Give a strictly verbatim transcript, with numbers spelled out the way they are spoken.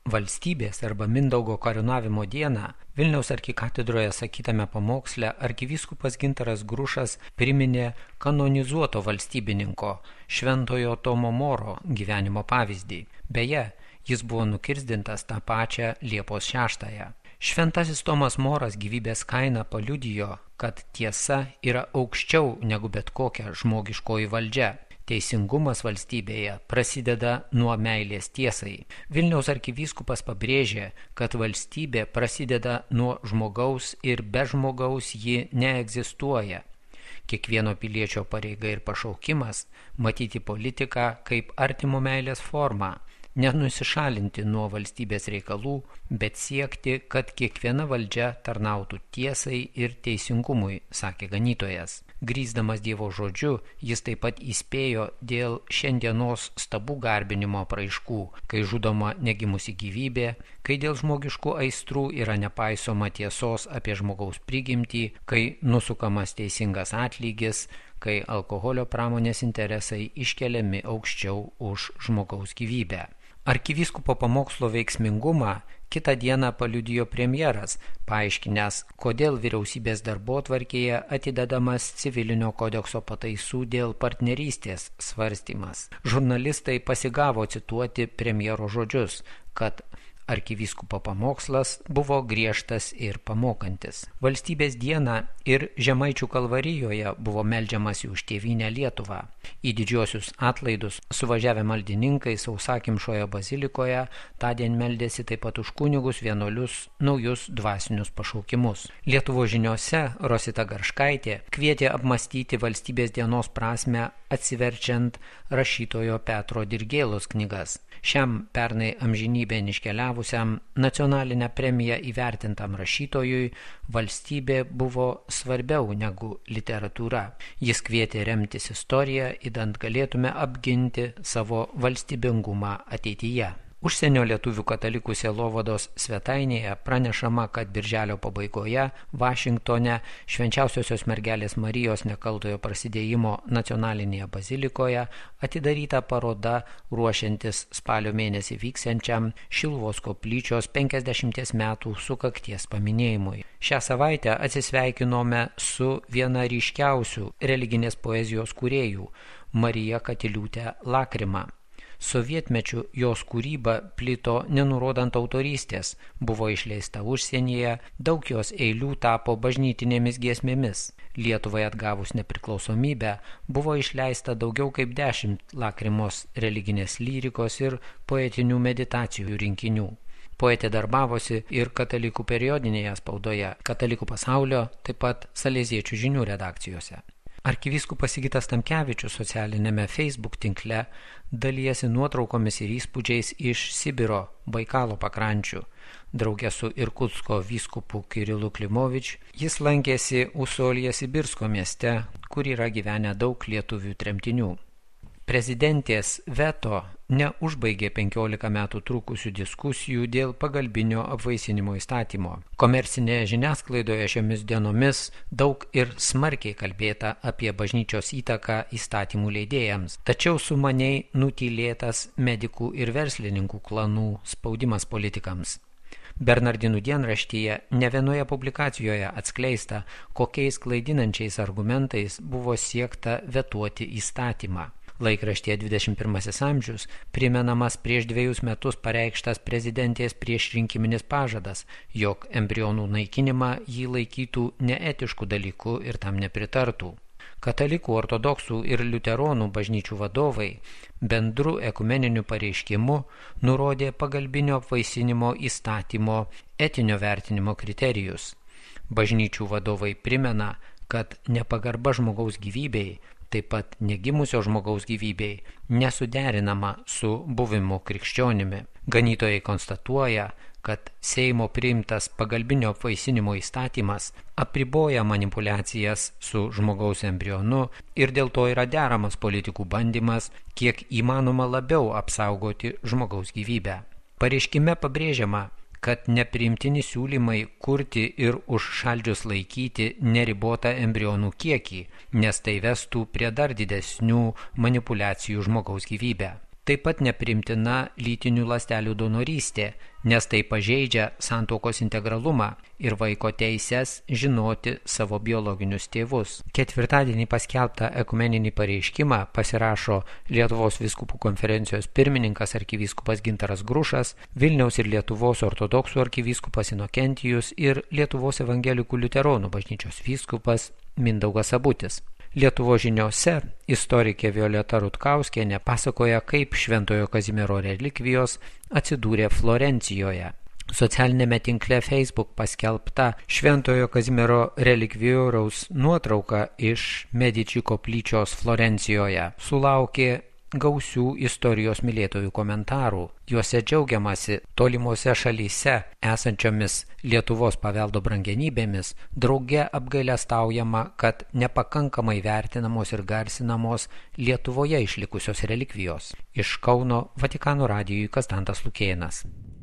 Valstybės arba Mindaugo karūnavimo dieną Vilniaus arkikatedroje sakytame pamoksle arkivyskupas Gintaras Grušas priminė kanonizuoto valstybininko Šventojo Tomo Moro gyvenimo pavyzdį. Beje, jis buvo nukirsdintas tą pačią Liepos šeštąją. Šventasis Tomas Moras gyvybės kainą paliudijo, kad tiesa yra aukščiau negu bet kokia žmogiškoji valdžia. Teisingumas valstybėje prasideda nuo meilės tiesai. Vilniaus arkivyskupas pabrėžė, kad valstybė prasideda nuo žmogaus ir be žmogaus ji neegzistuoja. Kiekvieno piliečio pareiga ir pašaukimas matyti politiką kaip artimo meilės formą, nenusišalinti nuo valstybės reikalų, bet siekti, kad kiekviena valdžia tarnautų tiesai ir teisingumui, sakė ganytojas. Grįsdamas Dievo žodžiu, jis taip pat įspėjo dėl šiandienos stabų garbinimo apraiškų, kai žudoma negimusi gyvybė, kai dėl žmogiškų aistrų yra nepaisoma tiesos apie žmogaus prigimtį, kai nusukamas teisingas atlygis, kai alkoholio pramonės interesai iškeliami aukščiau už žmogaus gyvybę. Arkivyskupo pamokslo veiksmingumą kitą dieną paliudijo premjeras, paaiškinęs, kodėl vyriausybės darbotvarkėje atidedamas civilinio kodekso pataisų dėl partnerystės svarstymas. Žurnalistai pasigavo cituoti premjero žodžius, kad arkivyskupo pamokslas buvo griežtas ir pamokantis. Valstybės dieną ir Žemaičių Kalvarijoje buvo meldžiamasi už tėvynę Lietuvą. Į didžiosius atlaidus suvažiavę maldininkai Sausakimšoje bazilikoje tądien meldėsi taip pat už kunigus, vienuolius, naujus dvasinius pašaukimus. Lietuvos žiniose Rosita Garškaitė kvietė apmąstyti valstybės dienos prasmę atsiverčiant rašytojo Petro Dirgėlos knygas. Šiam pernai amžinybėn iškeliavusiam nacionalinę premiją įvertintam rašytojui valstybė buvo svarbiau negu literatūra. Jis kvietė remtis istoriją, idant galėtume apginti savo valstybingumą ateityje. Užsienio lietuvių katalikų sielovados svetainėje pranešama, kad birželio pabaigoje Vašingtone Švenčiausiosios mergelės Marijos nekaltojo prasidėjimo nacionalinėje bazilikoje atidaryta paroda ruošiantis spalio mėnesį vyksiančiam Šiluvos koplyčios penkiasdešimties metų sukakties paminėjimui. Šią savaitę atsisveikinome su viena ryškiausių religinės poezijos kūrėjų Marija Katiliūtė Lakrima. Sovietmečiu jos kūryba plito nenurodant autorystės, buvo išleista užsienyje, daug jos eilių tapo bažnytinėmis giesmėmis. Lietuvai atgavus nepriklausomybę buvo išleista daugiau kaip dešimt Lakrimos religinės lyrikos ir poetinių meditacijų rinkinių. Poetė darbavosi ir katalikų periodinėje spaudoje, katalikų pasaulio, taip pat Saleziečių žinių redakcijose. Arkivyskupas Sigitas Tamkevičius socialinėme Facebook tinkle dalijasi nuotraukomis ir įspūdžiais iš Sibiro, Baikalo pakrančių. Drauge su Irkutsko vyskupu Kirilu Klimovič jis lankėsi Usolje Sibirsko mieste, kur yra gyvenę daug lietuvių tremtinių. Prezidentės veto neužbaigė penkiolika metų trukusių diskusijų dėl pagalbinio apvaisinimo įstatymo. Komercinėje žiniasklaidoje šiomis dienomis daug ir smarkiai kalbėta apie bažnyčios įtaką įstatymų leidėjams, tačiau sumaniai nutylėtas medikų ir verslininkų klanų spaudimas politikams. Bernardinų dienraštyje ne vienoje publikacijoje atskleista, kokiais klaidinančiais argumentais buvo siekta vetuoti įstatymą. Laikraštyje dvidešimt pirmasis amžius primenamas prieš dviejus metus pareikštas prezidentės priešrinkiminis pažadas, jog embrionų naikinimą jį laikytų neetiškų dalykų ir tam nepritartų. Katalikų, ortodoksų ir liuteronų bažnyčių vadovai bendru ekumeniniu pareiškimu nurodė pagalbinio apvaisinimo įstatymo etinio vertinimo kriterijus. Bažnyčių vadovai primena, kad nepagarba žmogaus gyvybei, taip pat negimusio žmogaus gyvybei, nesuderinama su buvimu krikščionimi. Ganytojai konstatuoja, kad Seimo priimtas pagalbinio apvaisinimo įstatymas apriboja manipuliacijas su žmogaus embrionu ir dėl to yra deramas politikų bandymas, kiek įmanoma labiau apsaugoti žmogaus gyvybę. Pareiškime pabrėžiama, kad nepriimtini siūlymai kurti ir užšaldžius laikyti neribotą embrionų kiekį, nes tai vestų prie dar didesnių manipuliacijų žmogaus gyvybę. Taip pat nepriimtina lytinių ląstelių donorystė, nes tai pažeidžia santuokos integralumą ir vaiko teises žinoti savo biologinius tėvus. Ketvirtadienį paskelbtą ekumeninį pareiškimą pasirašo Lietuvos vyskupų konferencijos pirmininkas arkivyskupas Gintaras Grušas, Vilniaus ir Lietuvos ortodoksų arkivyskupas Inokentijus ir Lietuvos evangelikų liuteronų bažnyčios vyskupas Mindaugas Sabutis. Lietuvos žiniose istorikė Violeta Rutkauskienė pasakoja, kaip Šventojo Kazimiero relikvijos atsidūrė Florencijoje. Socialinėme tinkle Facebook paskelbta Šventojo Kazimiero relikvijoriaus nuotrauka iš Mediči koplyčios Florencijoje sulaukė gausių istorijos mylėtojų komentarų. Juose džiaugiamasi tolimose šalyse esančiomis Lietuvos paveldo brangenybėmis, drauge apgailestaujama, kad nepakankamai vertinamos ir garsinamos Lietuvoje išlikusios relikvijos. Iš Kauno Vatikano radijui Konstantas Lukėnas.